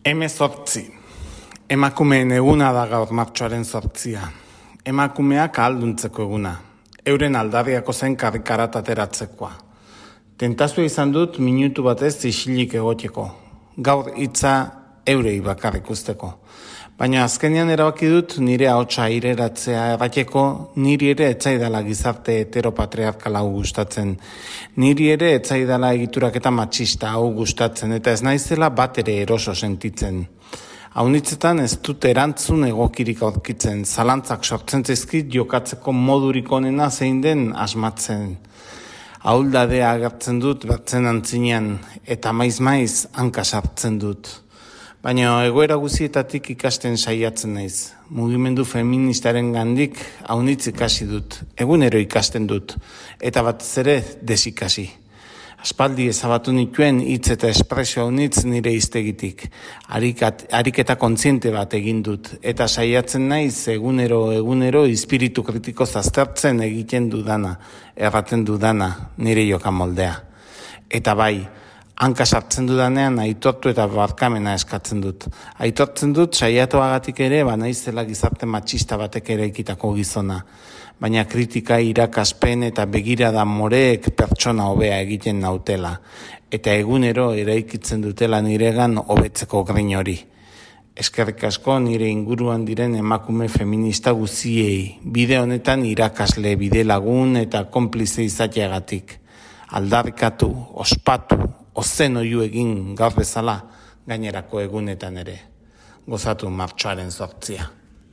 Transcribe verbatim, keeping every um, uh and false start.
Hemezortzi. Emakumeen eguna da gaur martxoaren zortzia. Emakumeak ahalduntzeko eguna. Euren aldarriako zen karrikarat ateratzekoa. Tentazioa izan dut minutu batez isilik egoteko. Gaur hitza eurei bakarrik usteko. Baina azkenean erabaki dut nire ahotsa aireratzea errateko, niri ere etzaidala gizarte heteropatriarkala hau gustatzen. Niri ere etzaidala egiturak eta matxista hau gustatzen, eta ez naizela bat ere eroso sentitzen. Haunitzetan ez dut erantzun egokirik aurkitzen, zalantzak sortzen zaizkit jokatzeko modurik onena zein den asmatzen. Ahuldadea agertzen dut batzen antzinean, eta maiz-maiz hanka sartzen dut. Baina egoera guzietatik ikasten saiatzen naiz. Mugimendu feministaren gandik haunitz ikasi dut, egunero ikasten dut, eta batez ere desikasi. Aspaldi ezabatu nituen hitz eta espresio haunitz nire hiztegitik. Arikat, ariketa kontziente bat egin dut, eta saiatzen naiz egunero egunero espiritu kritiko aztertzen egiten dudana, erraten dudana nire joka moldea. Eta bai, hanka sartzen dudanean aitortu eta barkamena eskatzen dut. Aitortzen dut saiatoagatik ere banaizela gizarte matxista batek ere ikitako gizona. Baina kritika, irakaspen eta begirada moreek pertsona hobea egiten nautela. Eta egunero eraikitzen dutela niregan hobetzeko grin hori. Eskerrik asko nire inguruan diren emakume feminista guziei. Bide honetan irakasle, bide lagun eta konplize izateagatik. Aldarrikatu, ospatu, ozen oiu egin gaur bezala gainerako egunetan ere. Gozatu martxoaren zortzia.